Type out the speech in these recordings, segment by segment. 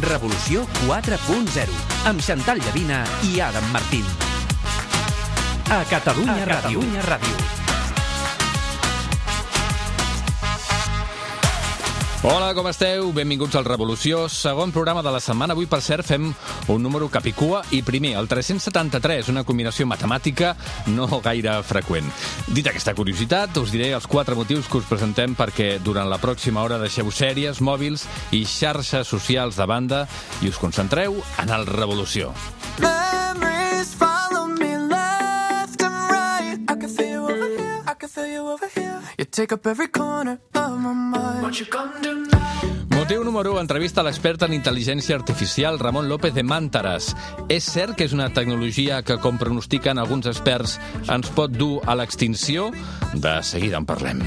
Revolució 4.0, amb Xantal Llavina i Adam Martín. A Catalunya Ràdio. Hola, com esteu? Benvinguts al Revolució, segon programa de la setmana. Avui, per cert, fem un número capicua i primer, el 373, una combinació matemàtica no gaire freqüent. Dit aquesta curiositat, us diré els 4 motius que us presentem perquè durant la pròxima hora deixeu sèries, mòbils i xarxes socials de banda i us concentreu en el Revolució. Memories follow me left and right. I can feel you over here, I can feel you over here. You take up every corner of my mind. What you gonna do now? Motiu número 1, entrevista a l'expert en intel·ligència artificial Ramon López de Màntares. És cert que és una tecnologia que, com pronostiquen alguns experts, ens pot dur a l'extinció? De seguida en parlem.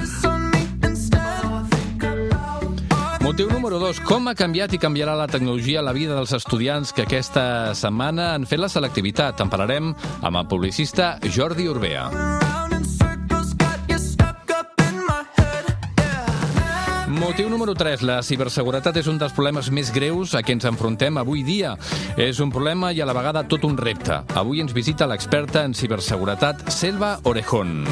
Motiu número 2, com ha canviat i canviarà la tecnologia la vida dels estudiants que aquesta setmana han fet la selectivitat? En parlarem amb el publicista Jordi Urbea. Motiu número 3, la ciberseguretat és un dels problemes més greus a què ens enfrontem avui dia. És un problema i a la vegada tot un repte. Avui ens visita l'experta en ciberseguretat Selva Orejón.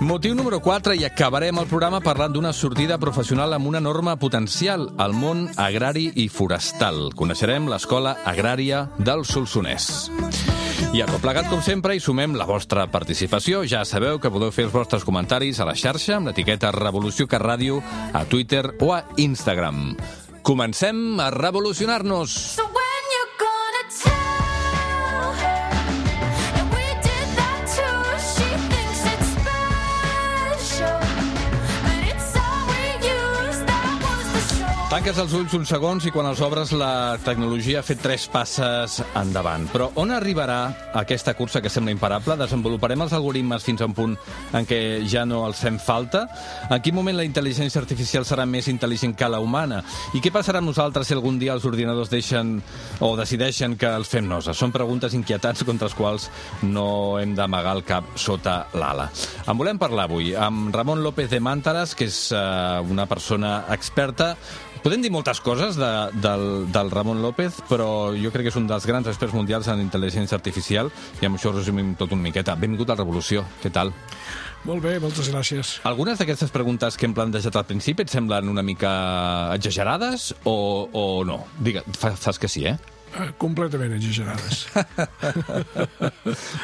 Motiu número 4, i acabarem el programa parlant d'una sortida professional amb un enorme potencial, el món agrari i forestal. Coneixerem l'Escola Agrària del Solsonès. I a tot plegat, com sempre, hi sumem la vostra participació. Ja sabeu que podeu fer els vostres comentaris a la xarxa amb l'etiqueta Revolució Cat Ràdio a Twitter o a Instagram. Comencem a revolucionar-nos! Tanques els ulls uns segons i quan els obres la tecnologia ha fet 3 passes endavant. Però on arribarà aquesta cursa que sembla imparable? Desenvoluparem els algoritmes fins a un punt en què ja no els fem falta? En quin moment la intel·ligència artificial serà més intel·ligent que la humana? I què passarà amb nosaltres si algun dia els ordinadors deixen o decideixen que els fem nosa? Són preguntes inquietants contra les quals no hem d'amagar el cap sota l'ala. En volem parlar avui amb Ramon López de Màntares, que és una persona experta. Podem dir moltes coses del Ramon López, però jo crec que és un dels grans experts mundials en intel·ligència artificial i amb això resumim tot una miqueta. Benvingut a la Revolució. Què tal? Molt bé, moltes gràcies. Algunes d'aquestes preguntes que hem plantejat al principi et semblen una mica exagerades o no? Digue'm, fas que sí, eh? Completament exagerades.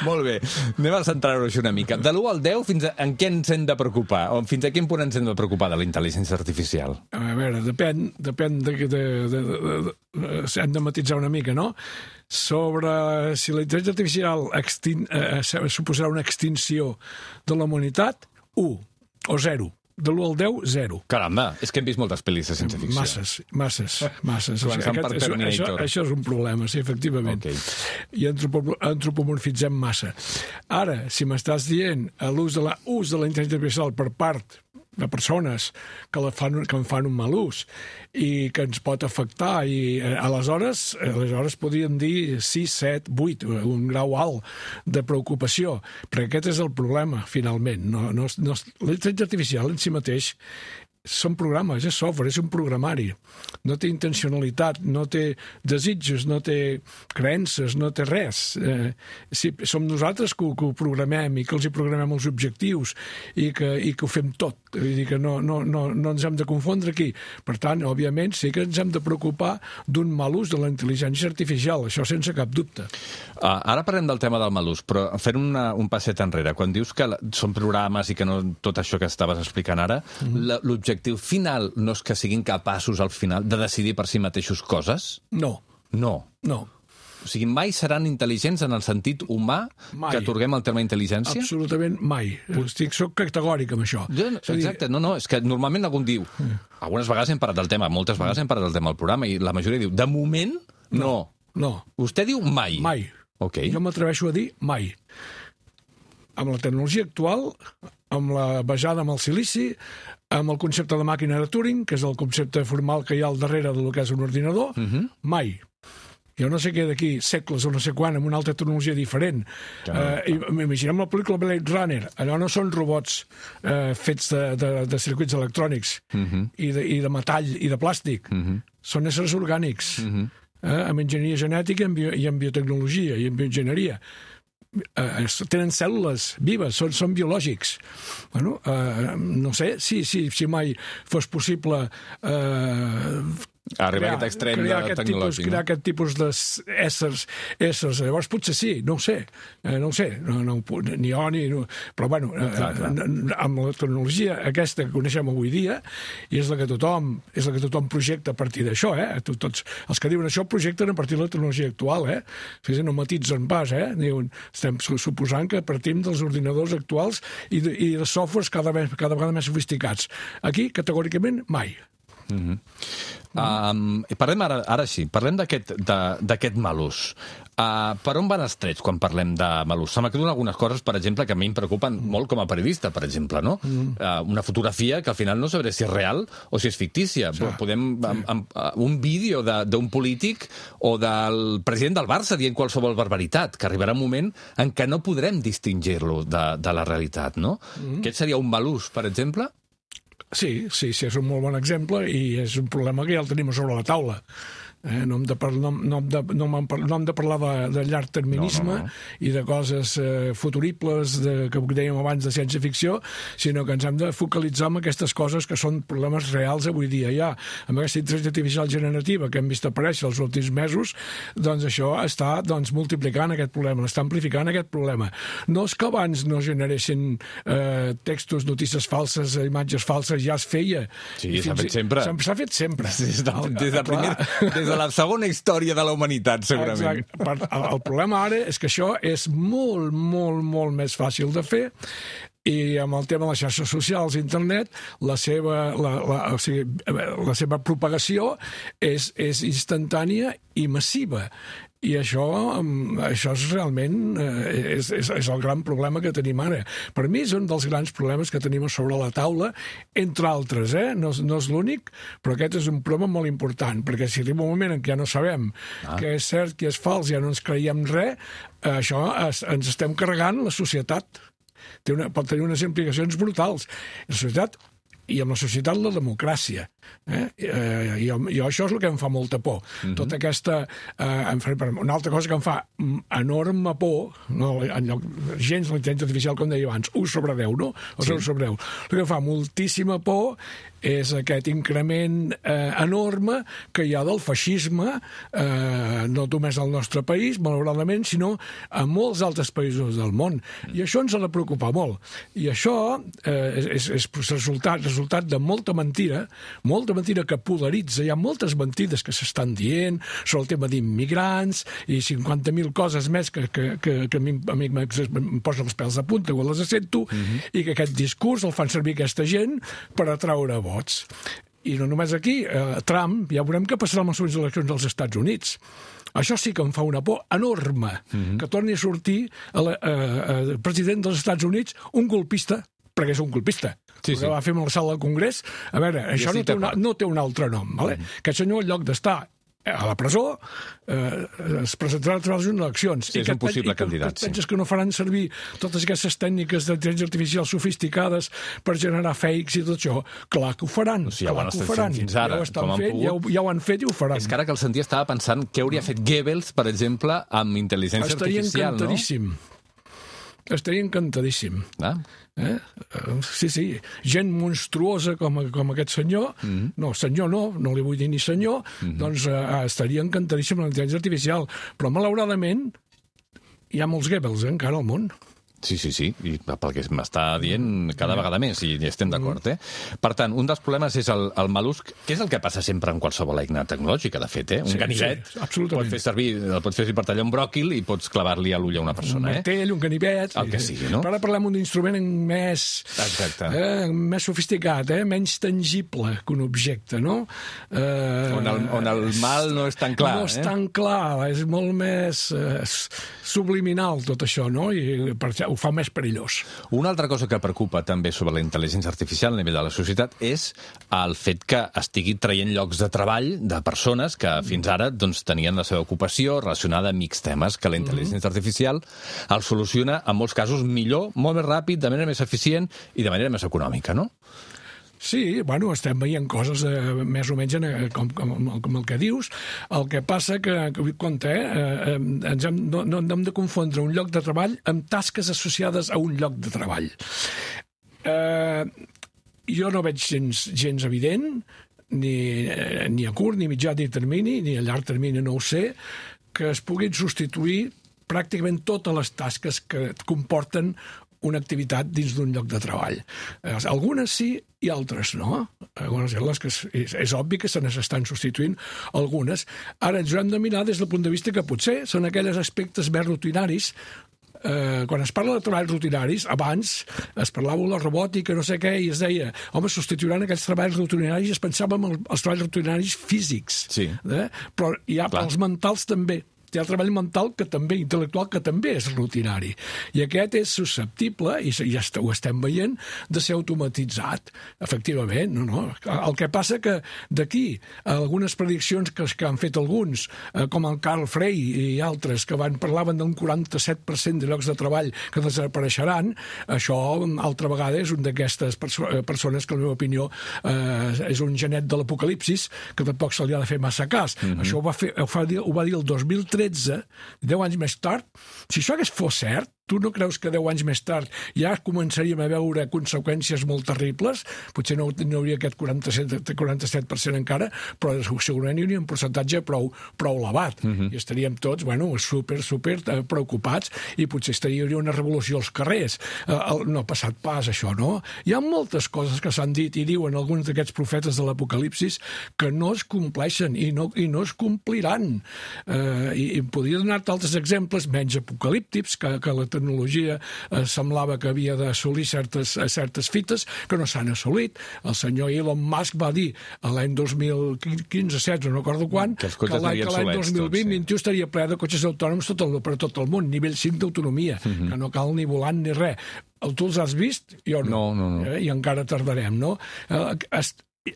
Molt bé, anem a centrar-ho una mica. De l'1 al 10, fins en què ens hem de preocupar? O fins a quin punt ens hem de preocupar de la intel·ligència artificial? A veure, depèn hem de matisar una mica, no? Sobre si la intel·ligència artificial suposarà una extinció de la humanitat, 1 o 0. De l'1 al 10, 0. Caramba, és que hem vist moltes pel·lis de ciència-ficció. Masses. Això és un problema, sí, efectivament. Okay. I antropomorfitzem massa. Ara, si m'estàs dient l'ús de la intel·ligència artificial per part de persones que en fan un mal ús i que ens pot afectar i aleshores podríem dir 6, 7, 8, un grau alt de preocupació, perquè aquest és el problema finalment. La intel·ligència artificial en si mateix són programes, és software, és un programari. No té intencionalitat, no té desitjos, no té creences, no té res. Som nosaltres que ho programem i que els hi programem els objectius i que ho fem tot. Vull dir que no ens hem de confondre aquí. Per tant, òbviament, sí que ens hem de preocupar d'un mal ús de la intel·ligència artificial, això sense cap dubte. Ara parlem del tema del mal ús, però fent un passet enrere, quan dius que són programes i que no tot això que estaves explicant ara, l'objectiu final no és que siguin capaços al final de decidir per si mateixos coses? No. O sigui, mai seran intel·ligents en el sentit humà que atorguem el terme intel·ligència? Absolutament mai. Soc categòric amb això. Exacte, és que normalment algú diu, algunes vegades hem parlat del tema, moltes vegades hem parlat del tema al programa, i la majoria diu, de moment, no. Vostè diu mai? Mai. Okay. Jo m'atreveixo a dir mai. Amb la tecnologia actual, basada en el silici, amb el concepte de màquina de Turing, que és el concepte formal que hi ha al darrere del que és un ordinador, mai. Jo no sé què d'aquí segles o no sé quan, amb una altra tecnologia diferent. Imaginem la pel·lícula Blade Runner. Allò no són robots fets de circuits electrònics i de metall i de plàstic. Són éssers orgànics, amb enginyeria genètica i amb biotecnologia i amb bioenginyeria. Tenen cèl·lules vives, són biològics. Bueno, no sé si mai fos possible arribar a aquest extrem tecnològic. Crear aquest tipus d'éssers. Llavors potser sí, no ho sé. Ni jo ni... Però bueno, amb la tecnologia aquesta que coneixem avui dia, i és la que tothom projecta a partir d'això, tots els que diuen això projecten a partir de la tecnologia actual, no matitzen pas, diuen, estem suposant que partim dels ordinadors actuals i de softwares cada vegada més sofisticats. Aquí, categòricament, mai. Parlem ara sí, parlem d'aquest mal ús. Per on van els trets quan parlem de mal ús? Se m'acuden algunes coses, per exemple, que a mi em preocupen molt com a periodista, per exemple, no? Una fotografia que al final no sabré si és real o si és fictícia. Un vídeo d'un polític o del president del Barça dient qualsevol barbaritat, que arribarà un moment en què no podrem distingir-lo de la realitat, no? Aquest seria un mal ús, per exemple? Sí, és un molt bon exemple i és un problema que ja el tenim sobre la taula. No hem de parlar de llarg terminisme i de coses futuribles que dèiem abans de ciència-ficció, sinó que ens hem de focalitzar en aquestes coses que són problemes reals avui dia. Ja, amb aquesta intel·ligència artificial generativa que hem vist aparèixer els últims mesos, doncs això està multiplicant aquest problema, està amplificant aquest problema. No és que abans no generessin textos, notícies falses, imatges falses, ja es feia. Sí, s'ha fet sempre. S'ha fet sempre. Des de la segona història de la humanitat, segurament. Exacte. El problema ara és que això és molt, molt, molt més fàcil de fer i amb el tema de les xarxes socials, internet, la seva propagació és instantània i massiva. I això és realment és el gran problema que tenim ara. Per mi és un dels grans problemes que tenim sobre la taula, entre altres, no és l'únic, però aquest és un problema molt important, perquè si arriba un moment en què ja no sabem què és cert, què és fals, ja no ens creiem res, això ens estem carregant la societat. Pot tenir unes implicacions brutals. La societat i amb la societat la democràcia. Jo això és el que em fa molta por. Tota aquesta... Una altra cosa que em fa enorme por, gens la intel·ligència artificial, com deia abans, 1 sobre 10, no? O 0 sobre 10. El que em fa moltíssima por és aquest increment enorme que hi ha del feixisme, no només al nostre país, malauradament, sinó a molts altres països del món. I això ens ha de preocupar molt. I això és resultat de molta mentira que polaritza. Hi ha moltes mentides que s'estan dient sobre el tema d'immigrants i 50.000 coses més que a mi em posen els pèls de punta quan les sento, i que aquest discurs el fan servir aquesta gent per atraure vots. I no només aquí, Trump, ja veurem què passarà amb les eleccions dels Estats Units. Això sí que em fa una por enorme, que torni a sortir el president dels Estats Units un colpista, perquè és un colpista. Que va fer amb la sala del Congrés. A veure, això no té un altre nom. Aquest senyor, en lloc d'estar a la presó, es presentarà a les eleccions. Sí, és un possible candidat. Penses que no faran servir totes aquestes tècniques d'intel·ligència artificial sofisticades per generar fakes i tot això? Clar que ho faran. Ja ho han estat fent fins ara. Ja ho han fet i ho faran. És que ara que el sentia estava pensant què hauria fet Goebbels, per exemple, amb intel·ligència artificial, no? Estaria encantadíssim. Sí, gent monstruosa com aquest senyor, no li vull dir ni senyor, doncs estaria encantadíssim amb la intel·ligència artificial, però malauradament hi ha molts Goebbels encara al món. Sí, i pel que m'està dient cada vegada més, i estem d'acord, Per tant, un dels problemes és el mal ús, que és el que passa sempre en qualsevol eina tecnològica, de fet, Un ganivet el pots fer per tallar un bròquil i pots clavar-li a l'ull a una persona, Un martell, un ganivet... El que sigui, no? Però ara parlem d'un instrument més sofisticat, menys tangible que un objecte, no? On el mal no és tan clar, No és tan clar, és molt més subliminal tot això, no? I per ho fa més perillós. Una altra cosa que preocupa també sobre la intel·ligència artificial a nivell de la societat és el fet que estigui traient llocs de treball de persones que fins ara doncs, tenien la seva ocupació relacionada amb X temes, que la intel·ligència artificial el soluciona en molts casos millor, molt més ràpid, de manera més eficient i de manera més econòmica, no? Sí, bueno, estem veient coses més o menys com el que dius. El que passa que compte, no hem de confondre un lloc de treball amb tasques associades a un lloc de treball. Jo no veig gens evident, ni a curt, ni mitjà ni termini, ni a llarg termini, no ho sé, que es puguin substituir pràcticament totes les tasques que comporten una activitat dins d'un lloc de treball. Algunes sí i altres no. Algunes que és obvi que se n'estan substituint algunes. Ara ens ho hem de mirar des del punt de vista que potser són aquells aspectes més rutinaris. Quan es parla de treballs rutinaris, abans es parlava de la robòtica, no sé què, i es deia, home, substituiran aquells treballs rutinaris, es pensava en els treballs rutinaris físics. Sí. Però hi ha els mentals també. Hi ha el treball mental que també, intel·lectual, que també és rutinari. I aquest és susceptible, i ja ho estem veient, de ser automatitzat. Efectivament, no. El que passa que d'aquí algunes prediccions que han fet alguns, com el Carl Frey i altres, que parlaven d'un 47% de llocs de treball que desapareixeran, això, altra vegada, és un d'aquestes persones que, en la meva opinió, és un genet de l'apocalipsis, que tampoc se li ha de fer massa cas. Això ho va dir el 2013, 10 anys més tard. Si això fos cert, tu no creus que 10 anys més tard ja començaríem a veure conseqüències molt terribles? Potser no hauria aquest 47% encara, però segurament hi hauria un percentatge prou elevat. I estaríem tots, super preocupats, i potser hi hauria una revolució als carrers. No ha passat pas, això, no? Hi ha moltes coses que s'han dit i diuen alguns d'aquests profetes de l'apocalipsis que no es compleixen i no es compliran. I podria donar-te altres exemples menys apocalíptics, que la tecnologia semblava que havia d'assolir certes fites que no s'han assolit. El senyor Elon Musk va dir l'any 2015-16, no recordo quan, que l'any 2020-21 estaria ple de cotxes autònoms per tot el món, nivell 5 d'autonomia, que no cal ni volant ni res. Tu els has vist? Jo no. I encara tardarem, no?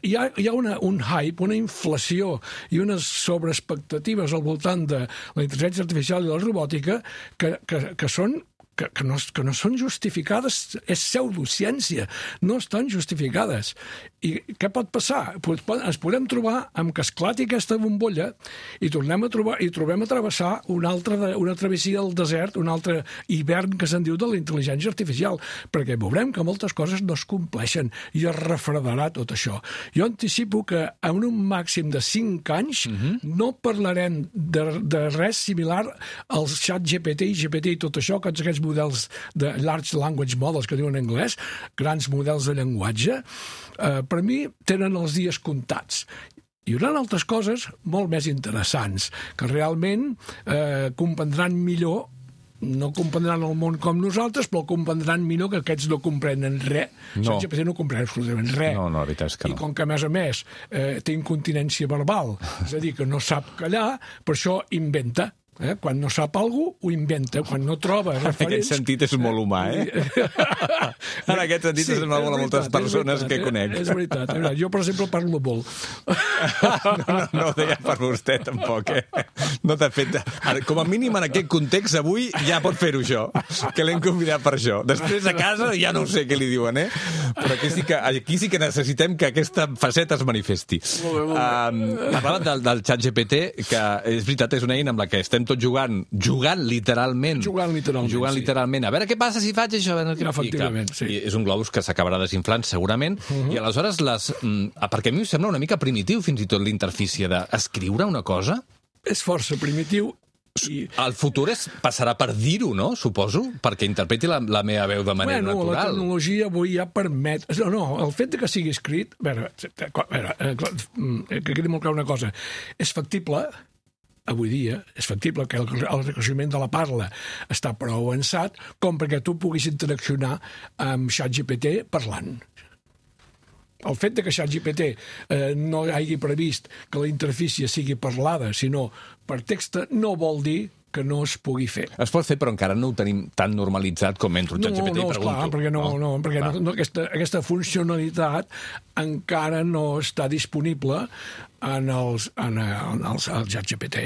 Hi ha un hype, una inflació i unes sobreexpectatives al voltant de la intel·ligència artificial i la robòtica que no són justificades, és pseudociència, no estan justificades. I què pot passar? Ens podem trobar amb que esclati aquesta bombolla i trobem a travessar una travessia del desert, un altre hivern que se'n diu de la intel·ligència artificial, perquè veurem que moltes coses no es compleixen i es refredarà tot això. Jo anticipo que en un màxim de 5 anys no parlarem de res similar al xat GPT i GPT i tot això, que aquests models de large language models que diuen en anglès, grans models de llenguatge, per mi tenen els dies comptats. Hi haurà altres coses molt més interessants, que realment comprendran millor, no comprendran el món com nosaltres, però comprendran millor que aquests no comprenen res. No. GPT no comprèn absolutament res. No, la veritat és que no. I com que, a més, té incontinència verbal, és a dir, que no sap callar, per això inventa. Quan no sap alguna cosa, ho inventa. Quan no troba referents... En aquest sentit és molt humà, En aquest sentit és molt a moltes persones que conec. És veritat. Jo, per exemple, parlo molt. No ho deia per vostè, tampoc, No t'ha fet... Com a mínim, en aquest context, avui ja pot fer-ho, això, que l'hem convidat per això. Després, a casa, ja no sé què li diuen, Però aquí sí que necessitem que aquesta faceta es manifesti. Parlava del xat GPT, que és veritat, és una eina amb la que estem tots jugant literalment. Jugant literalment. A veure què passa si faig això. Efectivament, sí. I és un globus que s'acabarà desinflant, segurament. I aleshores, perquè a mi em sembla una mica primitiu, fins i tot, l'interfície d'escriure una cosa. És força primitiu. El futur passarà per dir-ho, no? Suposo, perquè interpreti la meva veu de manera natural. La tecnologia avui ja permet... No, el fet que sigui escrit... que quedi molt clar una cosa. És factible... Avui dia és factible que el reconeixement de la parla està prou avançat com perquè tu puguis interaccionar amb ChatGPT parlant. El fet que ChatGPT no hagi previst que la interfície sigui parlada, sinó per text, no vol dir que no es pugui fer. Es pot fer, però encara no ho tenim tan normalitzat com entro al ChatGPT i pregunto. Perquè aquesta funcionalitat encara no està disponible en el ChatGPT,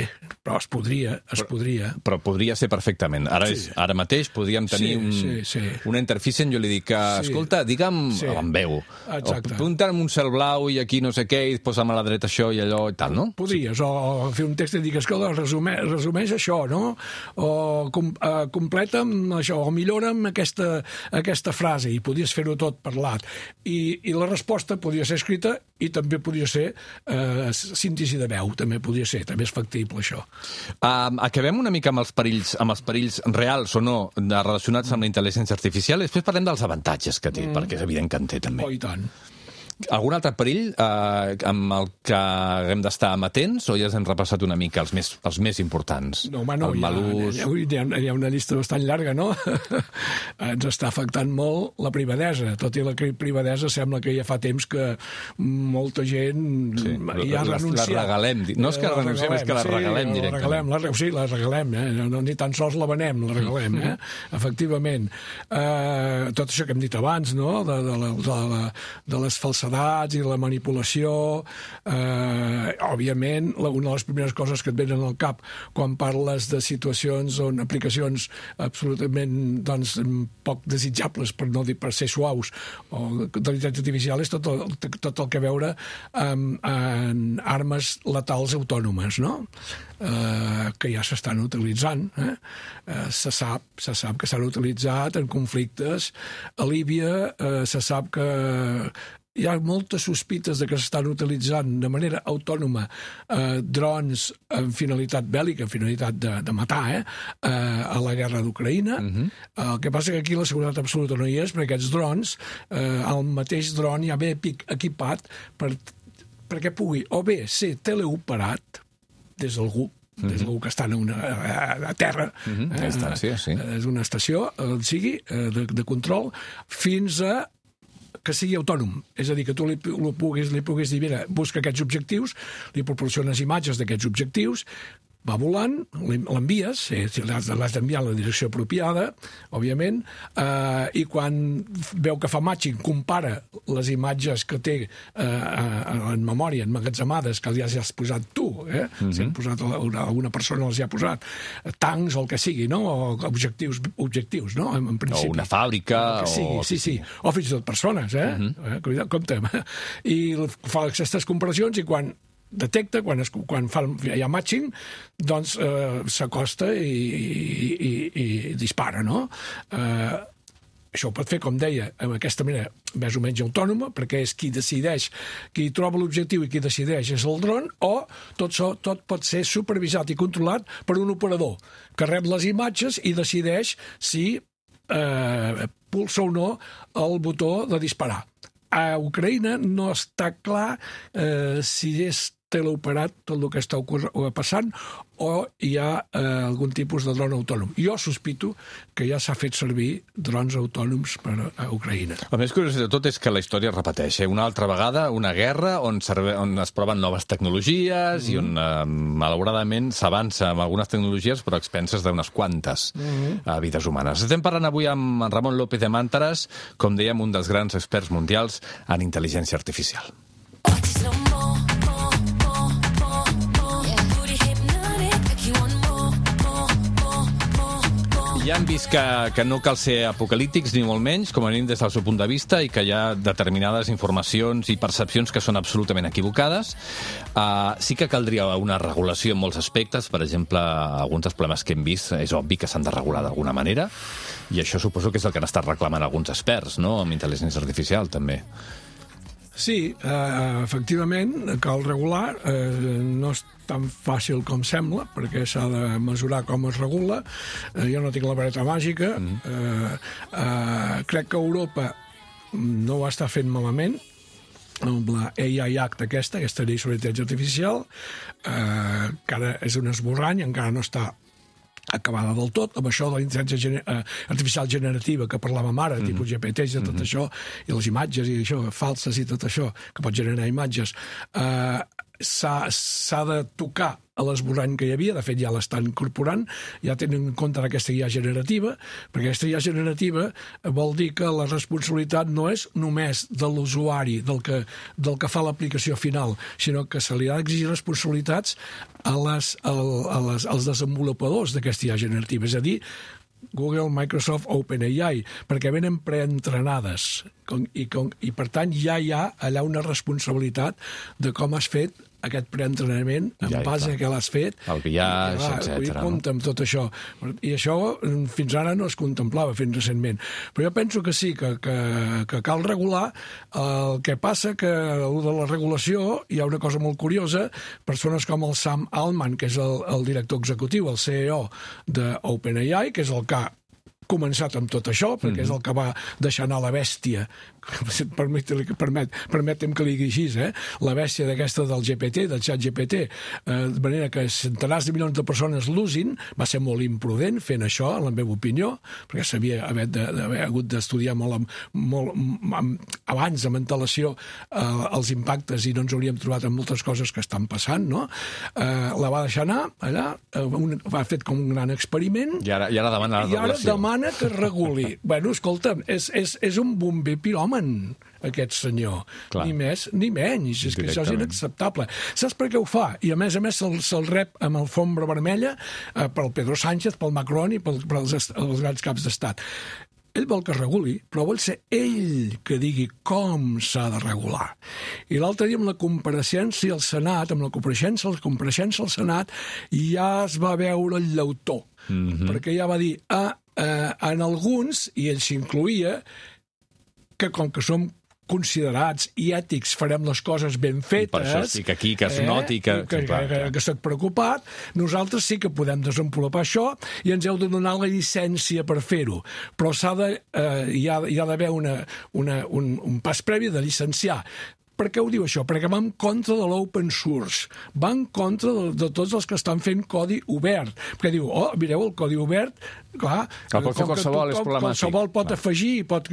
però es podria. Però podria ser perfectament. Ara mateix podríem tenir una interfície on jo li dic que, escolta, digue'm amb veu, apunta'm un cel blau i aquí no sé què, i posa'm a la dreta això i allò i tal, no? Podries, o fer un text i dir, escolta, resumeix això, no? O completa'm això, o millora'm aquesta frase, i podies fer-ho tot parlat. I la resposta podia ser escrita i també podia ser síntesi de veu, també podia ser, també és factible això. Acabem una mica amb els perills reals o no relacionats amb la intel·ligència artificial i després parlem dels avantatges que té, perquè és evident que en té també. Oh, i tant. Algun altre perill amb el que haguem d'estar amatents o ja ens hem repassat una mica els més importants? No, home, no, hi ha una llista bastant llarga, no? Ens està afectant molt la privadesa, tot i la privadesa sembla que ja fa temps que molta gent hi ha renunciat. La regalem, no és que renunciem, és que la regalem directament. Sí, la regalem, ni tan sols la venem, la regalem, efectivament. Tot això que hem dit abans, no?, de les falsedats i la manipulació, òbviament, una de les primeres coses que et venen al cap quan parles de situacions on aplicacions absolutament poc desitjables, per no dir per ser suaus, o d'intel·ligència artificial, és tot el que veure amb armes letals autònomes, no? Que ja s'estan utilitzant. Se sap que s'han utilitzat en conflictes. A Líbia se sap que hi ha moltes sospites de que s'estan utilitzant de manera autònoma drons en finalitat bèl·lica, en finalitat de matar, a la guerra d'Ucraïna. El que passa que aquí la seguretat absoluta no hi és, perquè aquests drons, el mateix dron ja ve equipat perquè pugui o bé ser teleoperat des d'algú, que està a terra, és una estació, de control, fins a que sigui autònom. És a dir, que tu li puguis dir, mira, busca aquests objectius, li proporciones imatges d'aquests objectius, va volant, l'envies, l'has d'enviar en la direcció apropiada, òbviament, i quan veu que fa matching, compara les imatges que té en memòria, emmagatzemades, que ja has posat tu, si han posat alguna persona els hi ha posat, tancs o el que sigui, no? O objectius, no? En principi. O una fàbrica. Sí. O fins i tot persones, compte. I fa aquestes comparacions i quan detecta, quan hi ha matching, doncs s'acosta i dispara, no? Això ho pot fer, com deia, amb aquesta manera més o menys autònoma, perquè és qui decideix, qui troba l'objectiu i qui decideix és el dron, o tot pot ser supervisat i controlat per un operador que rep les imatges i decideix si pulsa o no el botó de disparar. A Ucraïna no està clar si és teleoperat tot el que està passant o hi ha algun tipus de dron autònom. Jo sospito que ja s'ha fet servir drons autònoms per a Ucraïna. El més curiós de tot és que la història es repeteix. Una altra vegada, una guerra on es proven noves tecnologies i on, malauradament, s'avança amb algunes tecnologies però a expenses d'unes quantes vides humanes. Estem parlant avui amb Ramon López de Màntares, com dèiem, un dels grans experts mundials en intel·ligència artificial. Ja hem vist que no cal ser apocalíptics, ni molt menys, com a mínim des del seu punt de vista, i que hi ha determinades informacions i percepcions que són absolutament equivocades. Sí que caldria una regulació en molts aspectes. Per exemple, alguns dels problemes que hem vist és obvi que s'han de regular d'alguna manera, i això suposo que és el que han estat reclamant alguns experts, no?, amb intel·ligència artificial, també. Sí, efectivament, cal regular. No és tan fàcil com sembla, perquè s'ha de mesurar com es regula. Jo no tinc la vareta màgica. Crec que Europa no ho està fent malament, amb la AI Act aquesta llei sobre intel·ligència artificial, que ara és un esborrany, encara no està acabada del tot, amb això de la intel·ligència artificial generativa que parlàvem ara, tipus GPT i tot això, i les imatges i això, falses i tot això, que pot generar imatges. s'ha de tocar a l'esborrany que hi havia, de fet ja l'estan incorporant, ja tenen en compte aquesta IA generativa, perquè aquesta IA generativa vol dir que la responsabilitat no és només de l'usuari, del que fa l'aplicació final, sinó que se li ha d'exigir responsabilitats als desenvolupadors d'aquesta IA generativa, és a dir, Google, Microsoft, OpenAI, perquè venen preentrenades i per tant ja hi ha allà una responsabilitat de com has fet aquest preentrenament en base a què l'has fet. El biaix, etc. Compte amb tot això. I això fins ara no es contemplava fins recentment. Però jo penso que sí, que cal regular. El que passa que de la regulació hi ha una cosa molt curiosa. Persones com el Sam Altman, que és el director executiu, el CEO d'OpenAI, que és el que ha començat amb tot això, perquè és el que va deixar anar la bèstia, permetem que li digui així, la bèstia d'aquesta del GPT, del xat GPT, de manera que centenars de milions de persones l'usin, va ser molt imprudent fent això, en la meva opinió, perquè s'havia d'haver hagut d'estudiar molt abans, amb antelació, els impactes, i no ens hauríem trobat amb moltes coses que estan passant, no? La va deixar anar allà, va fet com un gran experiment, i ara demana la regulació. Que es reguli. Bueno, escolta'm, és un bomber piròman, aquest senyor. Clar. Ni més ni menys. És que això és inacceptable. Saps per què ho fa? I a més se'l rep amb alfombra vermella pel Pedro Sánchez, pel Macron i pels grans caps d'estat. Ell vol que es reguli, però vol ser ell que digui com s'ha de regular. I l'altre dia amb la compareixença al Senat, amb la compareixença al Senat, ja es va veure el llautó, perquè ja va dir, en alguns, i ell s'incloïa, que com que som considerats i ètics farem les coses ben fetes... I per això estic aquí, que es noti que estic preocupat. Nosaltres sí que podem desenvolupar això i ens heu de donar la llicència per fer-ho. Però hi ha d'haver un pas previ de llicenciar. Per què ho diu això? Perquè va en contra de l'open source, va en contra de tots els que estan fent codi obert. Perquè diu, mireu, el codi obert, clar, qualsevol és problemàtic. Qualsevol pot afegir, pot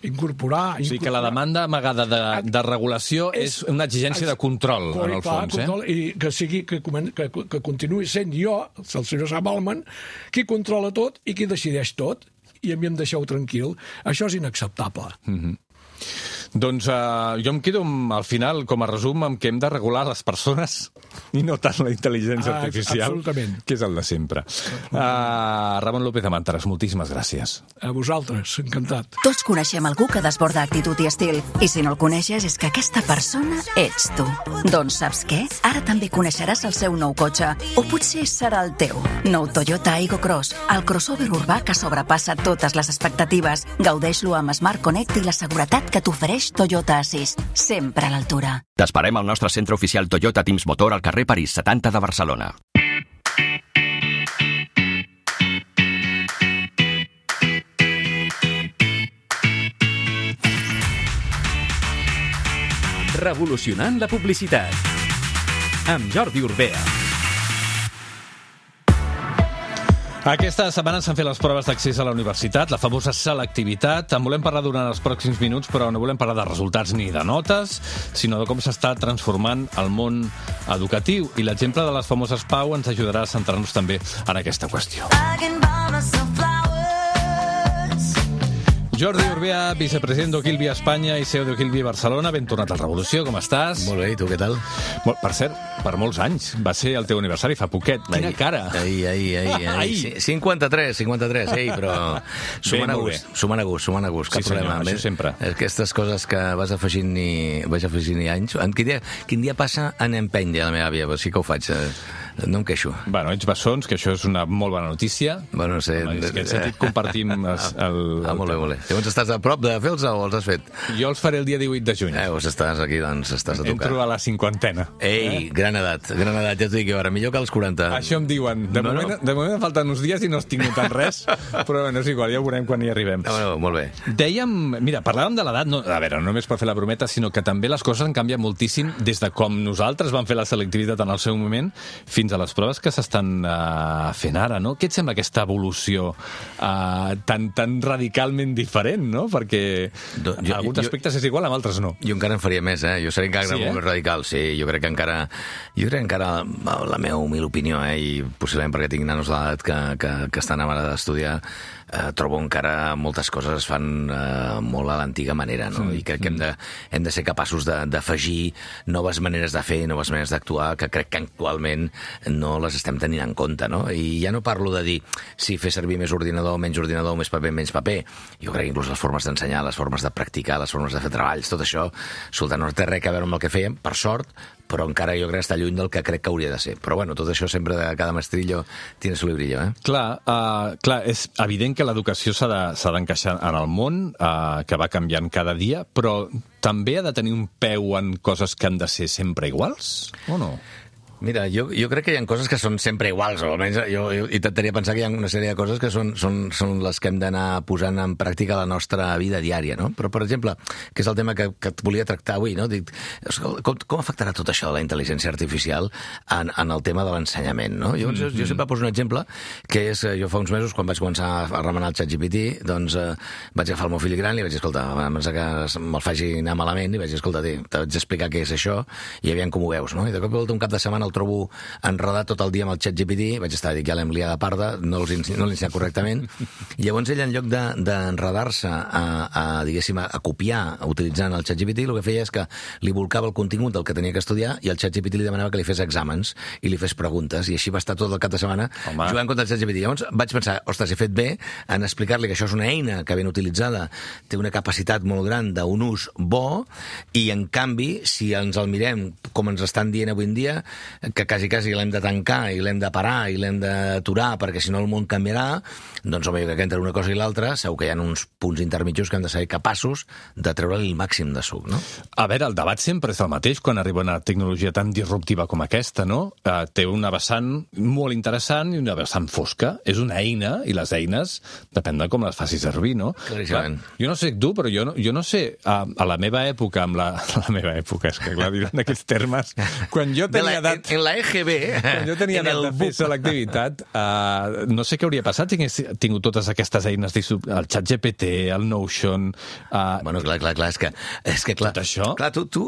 incorporar... O sigui que la demanda amagada de regulació és una exigència de control, en el fons. I que continuï sent jo, el senyor Sam Altman, qui controla tot i qui decideix tot, i a mi em deixeu tranquil. Això és inacceptable. Doncs jo em quedo al final, com a resum, amb que hem de regular les persones i no tant la intel·ligència artificial, absolutament, que és el de sempre. Ramon López de Màntares, moltíssimes gràcies. A vosaltres, encantat. Tots coneixem algú que desborda actitud i estil, i si no el coneixes és que aquesta persona ets tu. Doncs saps què? Ara també coneixeràs el seu nou cotxe, o potser serà el teu. Nou Toyota Aygo Cross, el crossover urbà que sobrepassa totes les expectatives. Gaudeix-lo amb Smart Connect i la seguretat que t'ofereix Toyota Assist, sempre a l'altura. T'esperem al nostre centre oficial Toyota Teams Motor al carrer París 70 de Barcelona. Revolucionant la publicitat. Amb Jordi Urbea. Aquesta setmana s'han fet les proves d'accés a la universitat, la famosa selectivitat. En volem parlar durant els pròxims minuts, però no volem parlar de resultats ni de notes, sinó de com s'està transformant el món educatiu. I l'exemple de les famoses PAU ens ajudarà a centrar-nos també en aquesta qüestió. Jordi Urbea, vicepresident d'Ogilvy Espanya i CEO d'Ogilvy Barcelona. Ben tornat a la Revolució, com estàs? Molt bé, i tu què tal? Per cert, per molts anys. Va ser el teu aniversari fa poquet. Quina cara! Ahir. 53, però sumant a gust, cap problema. Això sempre. Aquestes coses que vaig afegint anys. Quin dia passa en empeny, de la meva àvia, però sí que ho faig. No em queixo. Bueno, ets bessons, que això és una molt bona notícia. Bueno, no sé. En aquest sentit compartim el... Molt bé. Llavors estàs a prop de fer-los o els has fet? Jo els faré el dia 18 de juny. Doncs estàs aquí, estàs a tocar. Entro a la 50ena. Ei, gran edat, ja t'ho dic jo ara, millor que als 40. Això em diuen. De moment em falten uns dies i no estic notant res, però no és igual, ja ho veurem quan hi arribem. Bueno, molt bé. Dèiem, mira, parlàvem de l'edat, a veure, no només per fer la brometa, sinó que també les coses han canviat moltíssim des de com nosaltres vam fer la selectivitat en el seu moment fins fins a les proves que s'estan fent ara, no? Què et sembla aquesta evolució tan radicalment diferent, no? Perquè en alguns aspectes és igual, en altres no. Jo encara en faria més, Jo seré encara molt més radical, sí. Jo crec que encara, la meva humil opinió, i possiblement perquè tinc nanos d'edat que estan ara d'estudiar, trobo encara moltes coses es fan molt a l'antiga manera, no? I crec que hem de ser capaços d'afegir noves maneres de fer, noves maneres d'actuar, que crec que actualment no les estem tenint en compte, no? I ja no parlo de dir si fer servir més ordinador, menys paper, menys paper. Jo crec que inclús les formes d'ensenyar, les formes de practicar, les formes de fer treballs, tot això, escolta, no té res a veure amb el que fèiem, per sort, però encara jo crec que està lluny del que crec que hauria de ser. Però bueno, tot això sempre de cada mestrillo tiene su librillo, Clar, és evident que l'educació s'ha d'encaixar en el món, que va canviant cada dia, però també ha de tenir un peu en coses que han de ser sempre iguals, o no? Mira, jo crec que hi ha coses que són sempre iguals, o almenys jo intentaria pensar que hi ha una sèrie de coses que són les que hem d'anar posant en pràctica a la nostra vida diària, no? Però, per exemple, que és el tema que et volia tractar avui, no? Dic, com afectarà tot això de la intel·ligència artificial en el tema de l'ensenyament, no? Jo sempre poso un exemple, que és, jo fa uns mesos, quan vaig començar a remenar el ChatGPT, doncs vaig agafar el meu fill gran i vaig dir, escolta, abans que me'l faci anar malament, i vaig dir, escolta, t'haig d'explicar què és això, i aviam com ho veus, no? I de cop i volta un cap de setmana el trobo enredat tot el dia amb el ChatGPT, vaig estar a dir que ja l'hem liada parda, no l'he ensenyat correctament, i llavors ell, en lloc d'enredar-se diguéssim, a copiar utilitzant el ChatGPT, el que feia és que li volcava el contingut del que tenia que estudiar i el ChatGPT li demanava que li fes exàmens i li fes preguntes, i així va estar tot el cap de setmana jugant contra el ChatGPT. Llavors vaig pensar, ostres, he fet bé en explicar-li que això és una eina que ben utilitzada té una capacitat molt gran d'un ús bo, i en canvi, si ens el mirem com ens estan dient avui en dia, que quasi l'hem de tancar i l'hem de parar i l'hem d'aturar perquè si no el món canviarà, doncs home, jo crec que entre una cosa i l'altra segur que hi ha uns punts intermitjos que hem de ser capaços de treure-li el màxim de suc, no? A veure, el debat sempre és el mateix quan arriba una tecnologia tan disruptiva com aquesta, no? Té una vessant molt interessant i una vessant fosca. És una eina, i les eines depèn de com les facis servir, no? Claríssimament. Jo no sé tu, però jo no sé, a la meva època, la meva època, és que clar, diran d'aquests termes, quan jo tenia edat... En la EGB, quan jo tenia edat de fer selectivitat, no sé què hauria passat si hagués tingut totes aquestes eines, el ChatGPT, el Notion... Bueno, clar, és que clar, tot això... Clar, tu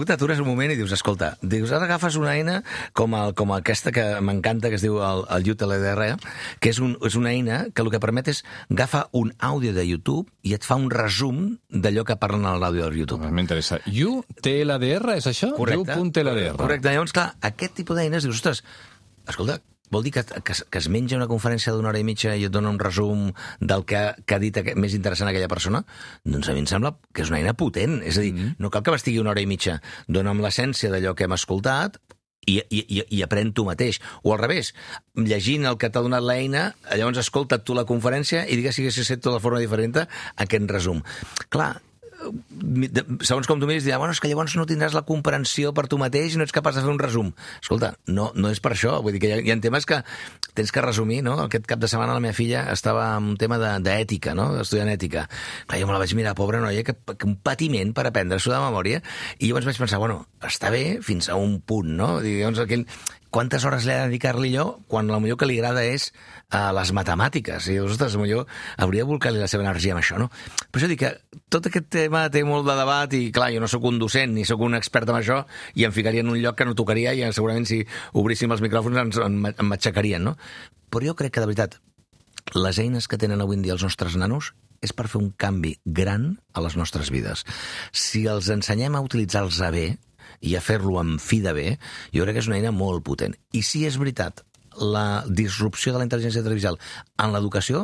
t'atures un moment i dius, escolta, ara agafes una eina com aquesta que m'encanta, que es diu el UTLDR, que és una eina que el que permet és agafar un àudio de YouTube i et fa un resum d'allò que parlen a l'àudio del YouTube. M'interessa. UTLDR, és això? Correcte. U.TLDR. Correcte. Llavors, clar, aquest tipus d'eines dius, ostres, escolta, vol dir que es menja una conferència d'una hora i mitja i et dona un resum del que ha dit més interessant aquella persona? Doncs a mi em sembla que és una eina potent. És a dir, no cal que m'estigui una hora i mitja. Dóna'm l'essència d'allò que hem escoltat i aprèn tu mateix. O al revés, llegint el que t'ha donat l'eina, llavors escolta't tu la conferència i digues si haguessis fet tota de forma diferent aquest resum. Clar, segons com tu miris, dirà, bueno, és que llavors no tindràs la comprensió per tu mateix i no ets capaç de fer un resum. Escolta, no és per això. Vull dir que hi ha temes que tens que resumir, no? Aquest cap de setmana la meva filla estava en un tema d'ètica, no? Estudiant ètica. Clar, jo me la vaig mirar, pobra noia, que un patiment per aprendre-s'ho de memòria, i llavors vaig pensar, bueno, està bé fins a un punt, no? Llavors quantes hores l'he de dedicar-li jo quan el millor que li agrada és les matemàtiques. I dius, ostres, millor hauria de volcar-li la seva energia amb això, no? Per això dic que tot aquest tema té molt de debat i, clar, jo no sóc un docent ni sóc un expert en això i em ficaria en un lloc que no tocaria i segurament si obríssim els micròfons em matxacarien, no? Però jo crec que, de veritat, les eines que tenen avui en dia els nostres nanos és per fer un canvi gran a les nostres vides. Si els ensenyem a utilitzar-los bé i a fer-lo amb fi de bé, jo crec que és una eina molt potent. I si és veritat, la disrupció de la intel·ligència artificial en l'educació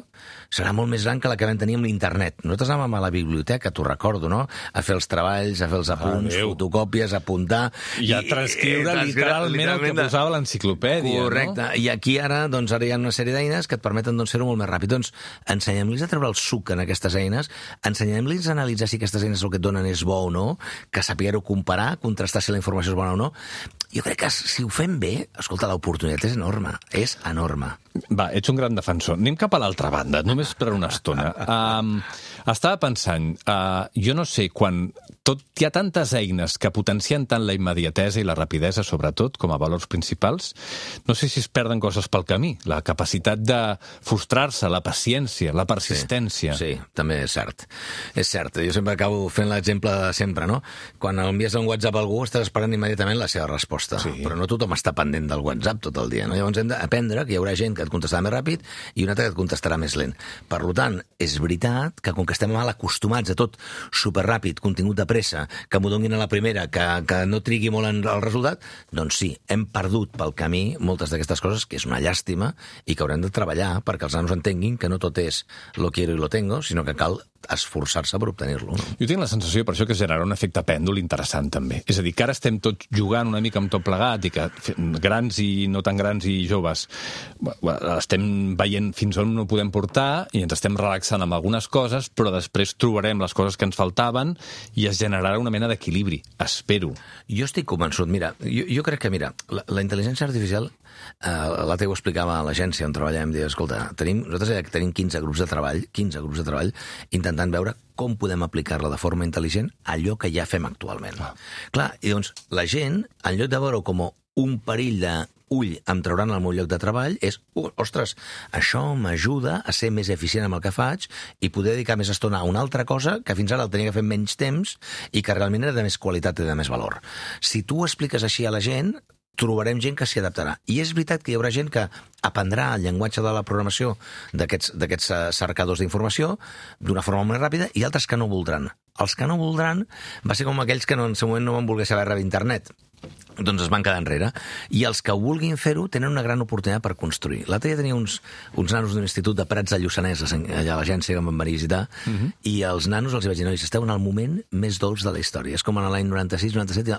serà molt més gran que la que vam tenir amb l'internet. Nosaltres anàvem a la biblioteca, t'ho recordo, no? A fer els treballs, a fer els apunts, fotocòpies, a apuntar... I a transcriure literalment el que posava l'enciclopèdia, correcte. No? I aquí ara hi ha una sèrie d'eines que et permeten fer-ho molt més ràpid. Doncs ensenyem-los a treure el suc en aquestes eines, ensenyem-los a analitzar si aquestes eines el que et donen és bo o no, que sapiguer-ho comparar, contrastar si la informació és bona o no. Jo crec que si ho fem bé, escolta, l'oportunitat és enorme. És enorme. Va, ets un gran defensor. Anem cap a l'altra banda, només per una estona. Estava pensant, jo no sé quan hi ha tantes eines que potencien tant la immediatesa i la rapidesa, sobretot, com a valors principals, no sé si es perden coses pel camí. La capacitat de frustrar-se, la paciència, la persistència. Sí, també és cert. És cert. Jo sempre acabo fent l'exemple de sempre, no? Quan envies un WhatsApp a algú, estàs esperant immediatament la seva resposta. Sí. Però no tothom està pendent del WhatsApp tot el dia, no? Llavors hem d'aprendre que hi haurà gent que et contestarà més ràpid i una altra que et contestarà més lent. Per tant, és veritat que com que estem mal acostumats a tot superràpid, contingut de pressa, que m'ho donin a la primera, que no trigui molt en el resultat, doncs sí, hem perdut pel camí moltes d'aquestes coses, que és una llàstima, i que haurem de treballar perquè els nanos entenguin que no tot és lo quiero y lo tengo, sinó que cal esforçar-se per obtenir-lo. No? Jo tinc la sensació, per això, que generarà un efecte pèndol interessant, també. És a dir, que ara estem tots jugant una mica amb tot plegat i que grans i no tan grans i joves estem veient fins on no podem portar i ens estem relaxant amb algunes coses, però després trobarem les coses que ens faltaven i es generarà una mena d'equilibri. Espero. Jo estic convençut. Mira, jo crec que, la intel·ligència artificial, la Teo explicava a l'agència on treballem, deia, escolta, nosaltres tenim 15 grups de treball intentant veure com podem aplicar-la de forma intel·ligent a allò que ja fem actualment. Clar, i doncs la gent, en lloc de veure com un perill d'ull em trauran al meu lloc de treball, és, ostres, això m'ajuda a ser més eficient amb el que faig i poder dedicar més estona a una altra cosa que fins ara el tenia que fer menys temps i que realment era de més qualitat i de més valor. Si tu ho expliques així a la gent, trobarem gent que s'hi adaptarà. I és veritat que hi haurà gent que aprendrà el llenguatge de la programació d'aquests cercadors d'informació d'una forma molt ràpida i altres que no voldran. Els que no voldran va ser com aquells que en el seu moment no van voler saber res d'internet. Doncs es van quedar enrere. I els que vulguin fer-ho tenen una gran oportunitat per construir. L'altre dia tenia uns nanos d'un institut de Prats de Lluçanès, allà a l'agència que em van venir a visitar, i els nanos els vaig dir, nois, esteu en el moment més dolç de la història. És com en l'any 96-97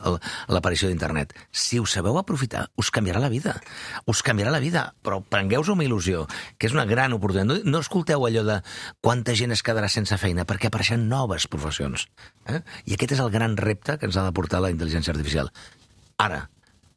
l'aparició d'internet. Si ho sabeu aprofitar, us canviarà la vida. Us canviarà la vida, però prengueu-ho amb il·lusió, que és una gran oportunitat. No escolteu allò de quanta gent es quedarà sense feina, perquè apareixen noves professions. I aquest és el gran repte que ens ha de portar la intel·ligència artificial. Ara,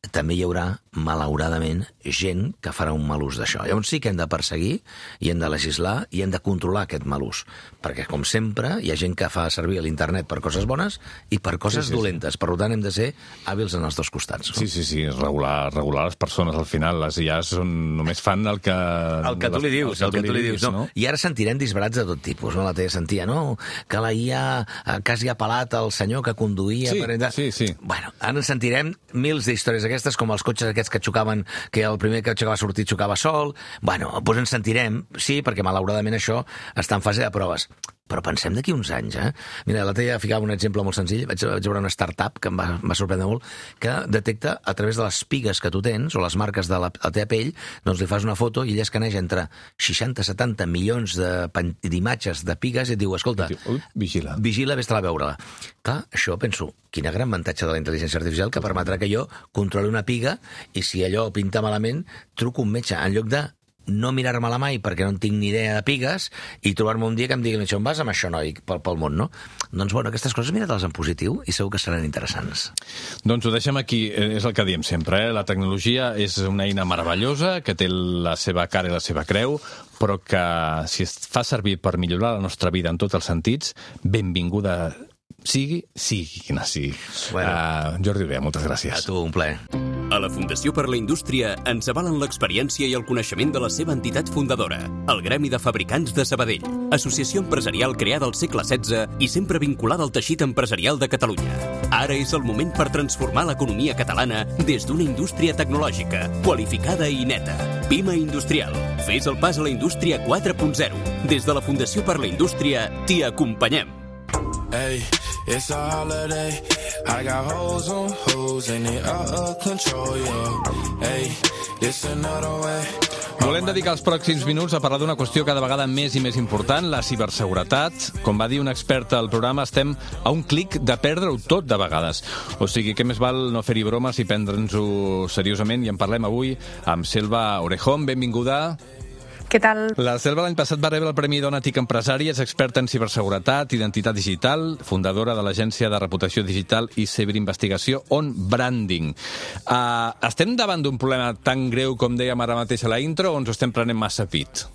també hi haurà, malauradament, gent que farà un mal ús d'això. Llavors sí que hem de perseguir, i hem de legislar, i hem de controlar aquest mal ús. Perquè, com sempre, hi ha gent que fa servir l'internet per coses bones i per coses dolentes. Per tant, hem de ser hàbils en els dos costats. No? Sí, regular les persones, al final. Les IAs només fan el que... El que tu li dius, no? I ara sentirem disbarats de tot tipus, no? La Teva sentia, no? Que la IA quasi ha pelat el senyor que conduïa... Sí. Bueno, ara sentirem mils d'històries aquestes, com els cotxes aquests que xocaven, que el primer que xocava sortir xocava sol. Bueno, doncs ens sentirem, sí, perquè malauradament això està en fase de proves. Però pensem d'aquí uns anys, Mira, la Tella ficava un exemple molt senzill. Vaig veure una startup que em va sorprendre molt, que detecta a través de les pigues que tu tens, o les marques de la teva pell, doncs li fas una foto i ella escaneja entre 60-70 milions d'imatges de pigues i et diu, escolta, vigila, vés-te-la a veure-la. Clar, això penso, quin gran avantatge de la intel·ligència artificial que permetrà que jo controli una piga i si allò pinta malament, truco un metge en lloc de no mirar-me-la mai perquè no en tinc ni idea de pigues i trobar-me un dia que em digui on vas amb això, noi, pel món, no? Doncs, bueno, aquestes coses mira-te-les en positiu i segur que seran interessants. Doncs ho deixem aquí, és el que diem sempre, La tecnologia és una eina meravellosa que té la seva cara i la seva creu, però que si es fa servir per millorar la nostra vida en tots els sentits, benvinguda sigui quina sigui. Bueno. Jordi Urea, moltes gràcies. A tu, un plaer. A la Fundació per la Indústria ens avalen l'experiència i el coneixement de la seva entitat fundadora, el Gremi de Fabricants de Sabadell, associació empresarial creada al segle XVI i sempre vinculada al teixit empresarial de Catalunya. Ara és el moment per transformar l'economia catalana des d'una indústria tecnològica, qualificada i neta. Pima Industrial. Fes el pas a la indústria 4.0. Des de la Fundació per la Indústria t'hi acompanyem. Hey, it's a holiday. I got hoes on hoes and they out of control, yeah. Hey, it's another way. Volem dedicar els pròxims minuts a parlar d'una qüestió cada vegada més i més important, la ciberseguretat. Com va dir un expert al programa, estem a un clic de perdre-ho tot de vegades. O sigui, què més val no fer-hi bromes i prendre'ns-ho seriosament? I en parlem avui amb Selva Orejón. Benvinguda. Què tal? La Selva l'any passat va rebre el Premi Dona TIC Empresari, és experta en ciberseguretat, identitat digital, fundadora de l'agència de reputació digital i ciberinvestigació On Branding. Estem davant d'un problema tan greu com dèiem ara mateix a la intro o ens ho estem prenent massa pit?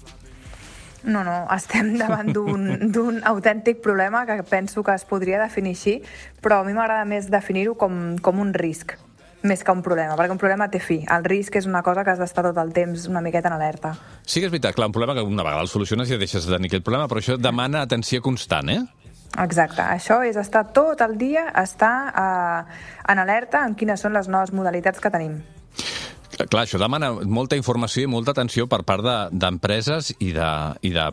No, estem davant d'un autèntic problema que penso que es podria definir així, però a mi m'agrada més definir-ho com un risc, més que un problema, perquè un problema té fi. El risc és una cosa que has d'estar tot el temps una miqueta en alerta. Sí que és veritat, clar, un problema que una vegada el soluciones ja deixes de tenir aquest problema, però això demana atenció constant, eh? Exacte, això és estar tot el dia, estar en alerta en quines són les noves modalitats que tenim. Clar, això demana molta informació i molta atenció per part d'empreses i de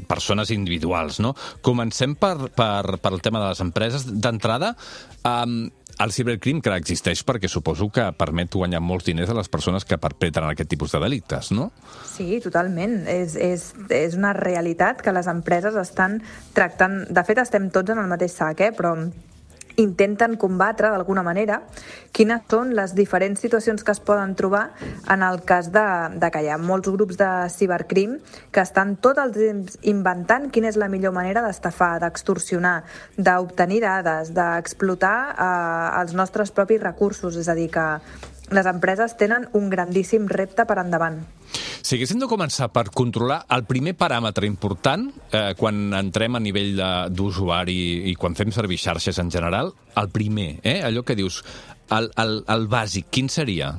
persones individuals, no? Comencem per el tema de les empreses. D'entrada, el cibercrim que existeix perquè suposo que permet guanyar molts diners a les persones que perpetren aquest tipus de delictes, no? Sí, totalment. És una realitat que les empreses estan tractant... De fet, estem tots en el mateix sac, però intenten combatre, d'alguna manera, quines són les diferents situacions que es poden trobar en el cas de que hi ha molts grups de cibercrim que estan tot el temps inventant quina és la millor manera d'estafar, d'extorsionar, d'obtenir dades, d'explotar els nostres propis recursos. És a dir, que les empreses tenen un grandíssim repte per endavant. Si haguéssim de començar per controlar el primer paràmetre important quan entrem a nivell d'usuari i quan fem servir xarxes en general, el primer, allò que dius, el bàsic, quin seria?